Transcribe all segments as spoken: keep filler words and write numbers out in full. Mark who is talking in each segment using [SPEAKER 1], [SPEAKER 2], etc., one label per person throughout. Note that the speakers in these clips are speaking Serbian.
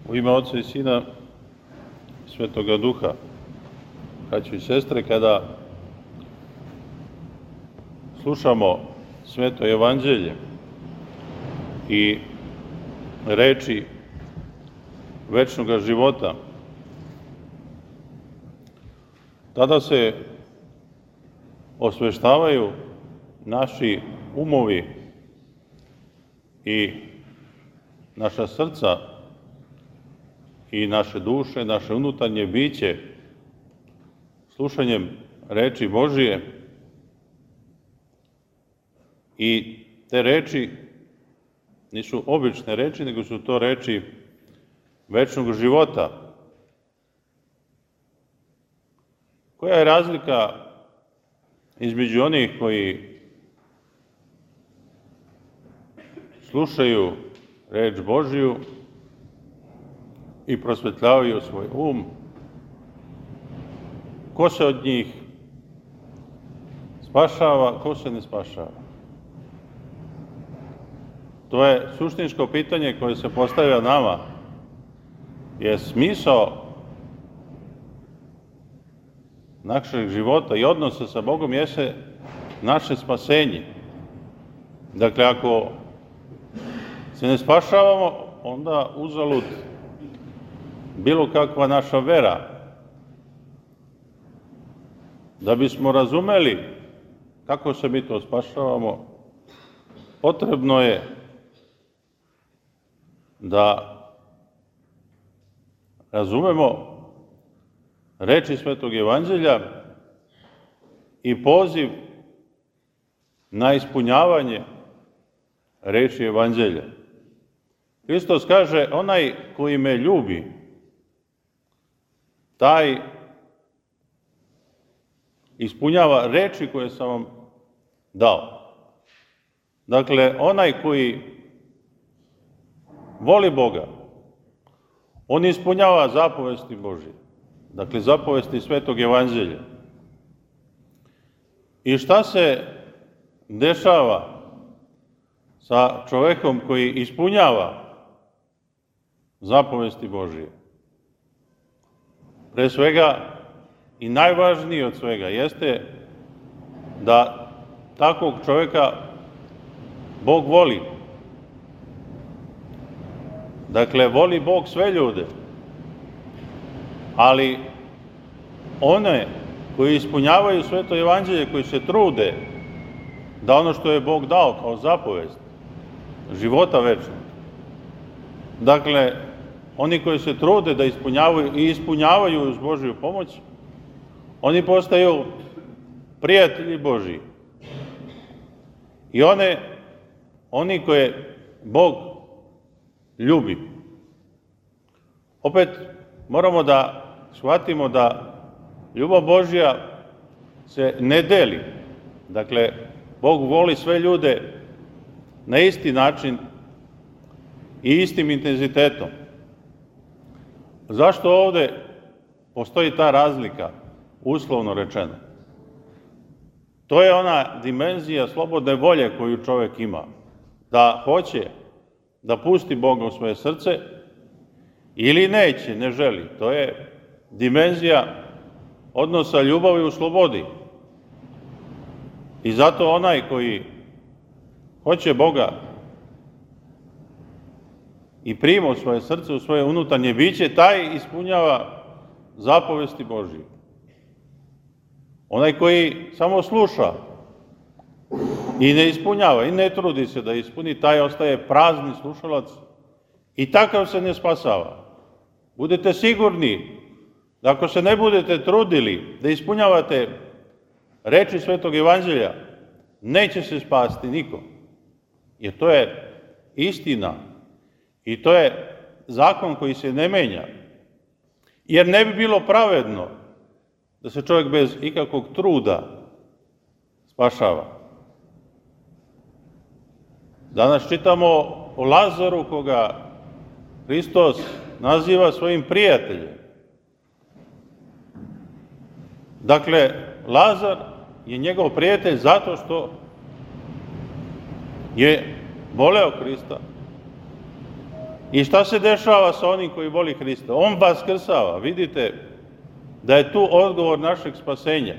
[SPEAKER 1] U ime Oca i Sina, Svetoga Duha, braćo i sestre, kada slušamo Sveto Evanđelje i reči večnoga života, tada se osveštavaju naši umovi i naša srca i naše duše, naše unutarnje biće, slušanjem reči Božije. I te reči nisu obične reči, nego su to reči večnog života. Koja je razlika između onih koji slušaju reč Božiju i prosvetljavaju svoj um? Ko se od njih spašava, ko se ne spašava? To je suštinsko pitanje koje se postavlja nama. Je smisao našeg života i odnosa sa Bogom jeste naše spasenje. Dakle, ako se ne spašavamo, onda uzalud bilo kakva naša vera. Da bismo razumeli kako se mi to spašavamo, potrebno je da razumemo reči Svetog Evanđelja i poziv na ispunjavanje reči Evanđelja. Hristos kaže, onaj koji me ljubi, taj ispunjava reči koje sam vam dao. Dakle, onaj koji voli Boga, on ispunjava zapovesti Božje. Dakle, zapovesti Svetog Evanđelja. I šta se dešava sa čovekom koji ispunjava zapovesti Božje? Pre svega i najvažnije od svega jeste da takvog čoveka Bog voli. Dakle, voli Bog sve ljude, ali one koji ispunjavaju Sveto Evanđelje, koji se trude da ono što je Bog dao kao zapovest života večnog, dakle, oni koji se trude da ispunjavaju i ispunjavaju uz Božju pomoć, oni postaju prijatelji Božji. I one, oni koje Bog ljubi. Opet moramo da shvatimo da ljubav Božja se ne deli. Dakle, Bog voli sve ljude na isti način i istim intenzitetom. Zašto ovde postoji ta razlika, uslovno rečeno? To je ona dimenzija slobodne volje koju čovek ima, da hoće da pusti Boga u svoje srce ili neće, ne želi. To je dimenzija odnosa ljubavi u slobodi. I zato onaj koji hoće Boga i prima u svoje srce, u svoje unutarnje biće, taj ispunjava zapovesti Božje. Onaj koji samo sluša i ne ispunjava i ne trudi se da ispuni, taj ostaje prazni slušalac i takav se ne spasava. Budete sigurni da ako se ne budete trudili da ispunjavate reči Svetog Evanđelja, neće se spasti niko. Jer to je istina i to je zakon koji se ne menja. Jer ne bi bilo pravedno da se čovjek bez ikakvog truda spašava. Danas čitamo o Lazaru koga Hristos naziva svojim prijateljem. Dakle, Lazar je njegov prijatelj zato što je voleo Hrista I šta se dešava sa onim koji voli Hrista? On vaskrsava. Vidite da je tu odgovor našeg spasenja.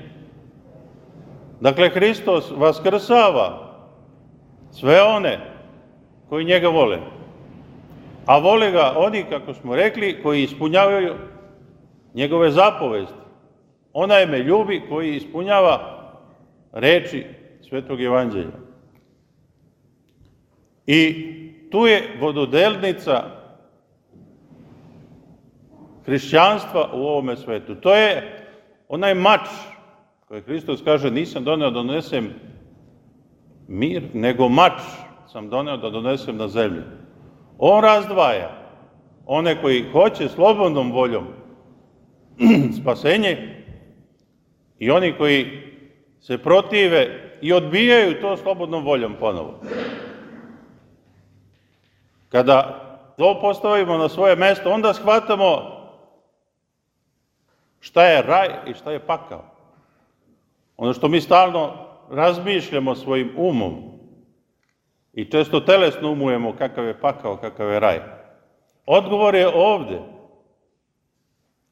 [SPEAKER 1] Dakle, Hristos vaskrsava sve one koji njega vole. A vole ga oni, kako smo rekli, koji ispunjavaju njegove zapovesti. Onaj me ljubi koji ispunjava reči Svetog Evanđelja. I tu je vododelnica hrišćanstva u ovome svetu. To je onaj mač koji Hristos kaže nisam doneo da donesem mir, nego mač sam doneo da donesem na zemlju. On razdvaja one koji hoće slobodnom voljom spasenje i oni koji se protive i odbijaju to slobodnom voljom ponovo. Kada to postavimo na svoje mesto, onda shvatamo šta je raj i šta je pakao. Ono što mi stalno razmišljamo svojim umom i često telesno umujemo kakav je pakao, kakav je raj. Odgovor je ovde.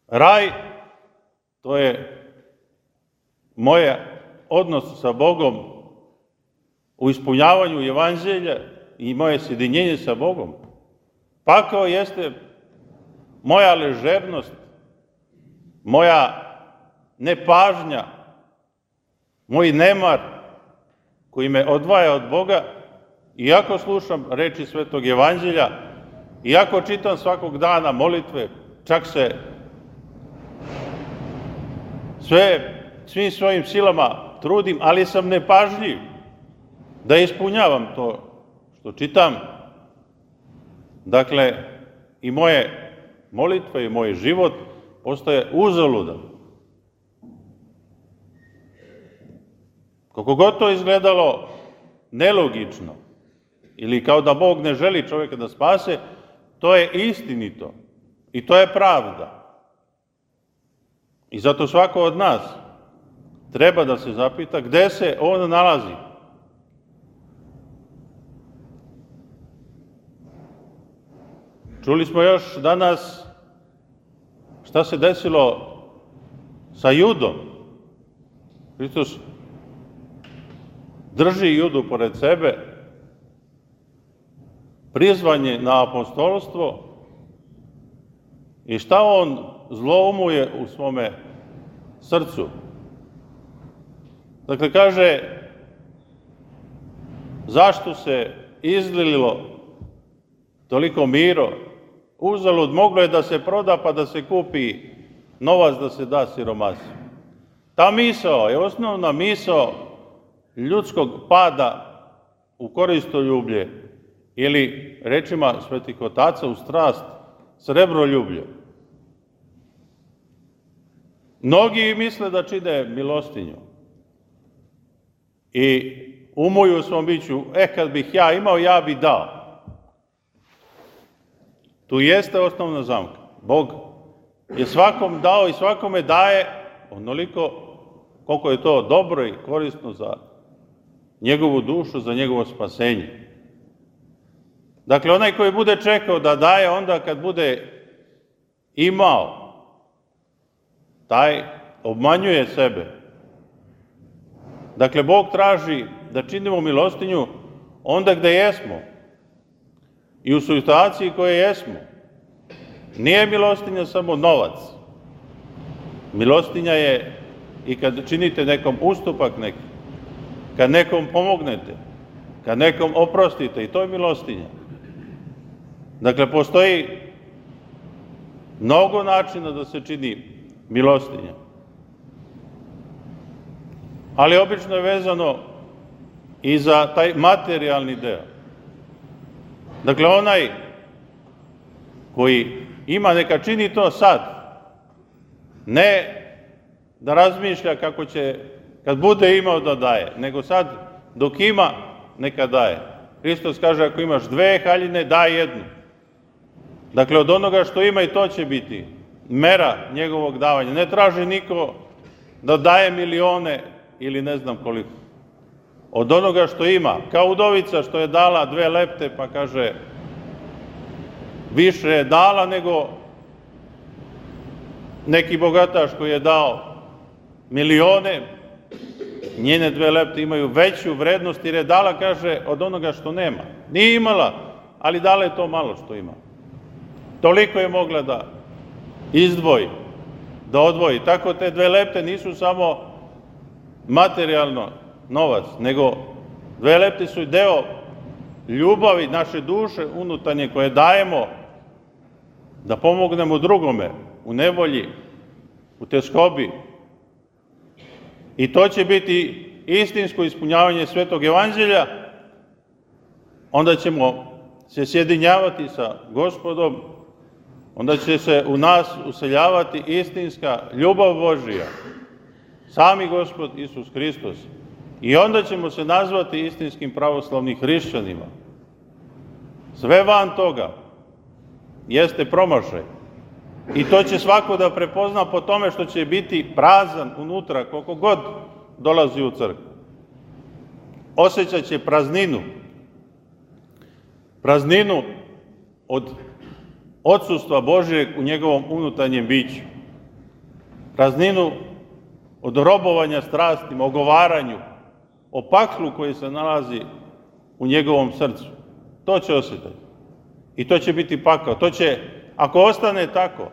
[SPEAKER 1] Raj, to je moj odnos sa Bogom u ispunjavanju Evanđelja i moje sjedinjenje sa Bogom. Pakao jeste moja ležernost, moja nepažnja, moj nemar koji me odvaja od Boga, iako slušam reči Svetog Evanđelja, iako čitam svakog dana molitve, čak se sve, svim svojim silama trudim, ali sam nepažljiv da ispunjavam to što čitam. Dakle, i moje molitve i moj život postaje uzaludan. Koliko god to izgledalo nelogično, ili kao da Bog ne želi čovjeka da spase, to je istinito i to je pravda. I zato svako od nas treba da se zapita gde se on nalazi. Čuli smo još danas šta se desilo sa Judom. Hristos drži Judu pored sebe, prizvan je na apostolstvo i šta on zloumuje u svome srcu. Dakle, kaže, zašto se izlilo toliko miro? Uzalud, moglo je da se proda pa da se kupi novac da se da siromasu. Ta misao je osnovna misao ljudskog pada u koristoljublje ili, rečima svetih otaca, u strast, srebroljublje. Mnogi misle da čine milostinju i umuju u svom biću, e, kad bih ja imao, ja bi dao. Tu jeste osnovna zamka. Bog je svakom dao i svakome daje onoliko koliko je to dobro i korisno za njegovu dušu, za njegovo spasenje. Dakle, onaj koji bude čekao da daje onda kad bude imao, taj obmanjuje sebe. Dakle, Bog traži da činimo milostinju onda gde jesmo i u situaciji koje jesmo. Nije milostinja samo novac. Milostinja je i kad činite nekom ustupak neki, kad nekom pomognete, kad nekom oprostite, i to je milostinja. Dakle, postoji mnogo načina da se čini milostinja. Ali obično je vezano i za taj materijalni deo. Dakle, onaj koji ima, neka čini to sad. Ne da razmišlja kako će, kad bude imao da daje, nego sad dok ima, neka daje. Hristos kaže, ako imaš dve haljine, daj jednu. Dakle, od onoga što ima i to će biti mera njegovog davanja. Ne traži niko da daje milione ili ne znam koliko. Od onoga što ima, kao udovica što je dala dve lepte, pa kaže, više je dala nego neki bogataš koji je dao milione. Njene dve lepte imaju veću vrednost jer je dala, kaže, od onoga što nema. Nije imala, ali dala je to malo što ima. Toliko je mogla da izdvoji, da odvoji. Tako te dve lepte nisu samo materijalno novac, nego dve lepte su deo ljubavi naše duše unutarnje koje dajemo da pomognemo drugome u nevolji, u teskobi. I to će biti istinsko ispunjavanje Svetog evanđelja. Onda ćemo se sjedinjavati sa Gospodom, onda će se u nas useljavati istinska ljubav Božija, sami Gospod Isus Hristos. I onda ćemo se nazvati istinskim pravoslavnim hrišćanima. Sve van toga jeste promašaj. I to će svako da prepozna po tome što će biti prazan unutra, koliko god dolazi u crkvu. Osjećat će prazninu. Prazninu od odsustva Božijeg u njegovom unutarnjem biću. Prazninu od robovanja strastima, ogovaranju, o paklu koji se nalazi u njegovom srcu. To će osjetiti. I to će biti pakao. To će, ako ostane tako,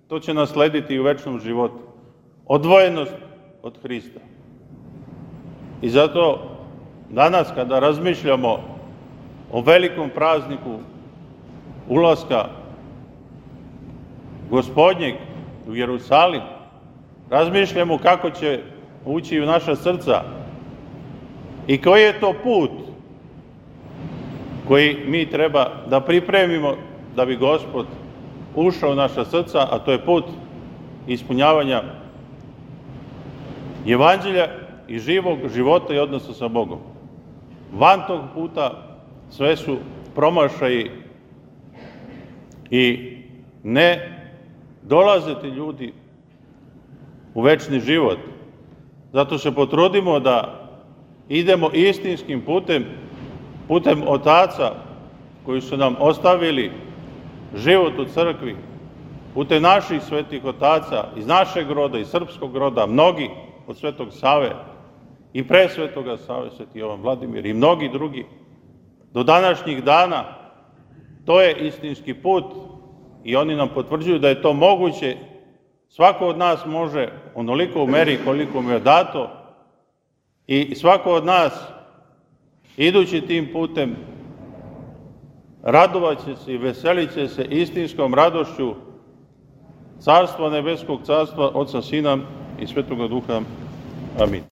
[SPEAKER 1] to će naslediti i u večnom životu. Odvojenost od Hrista. I zato danas kada razmišljamo o velikom prazniku ulaska Gospodnjeg u Jerusalim, razmišljamo kako će ući u naša srca i koji je to put koji mi treba da pripremimo da bi Gospod ušao u naša srca, a to je put ispunjavanja evanđelja i živog života i odnosa sa Bogom. Van tog puta sve su promašaji i ne dolaze ti ljudi u večni život. Zato se potrudimo da idemo istinskim putem, putem otaca koji su nam ostavili život u crkvi, putem naših svetih otaca, iz našeg roda, iz srpskog roda, mnogi od Svetog Save i pre Svetoga Save, Sveti Jovan Vladimir i mnogi drugi, do današnjih dana, to je istinski put i oni nam potvrđuju da je to moguće. Svako od nas može onoliko u meri koliko mu je dato i svako od nas, idući tim putem, radovat će se i veselit će se istinskom radošću Carstva nebeskog, Carstva Oca, Sina i Svetoga Duha. Amin.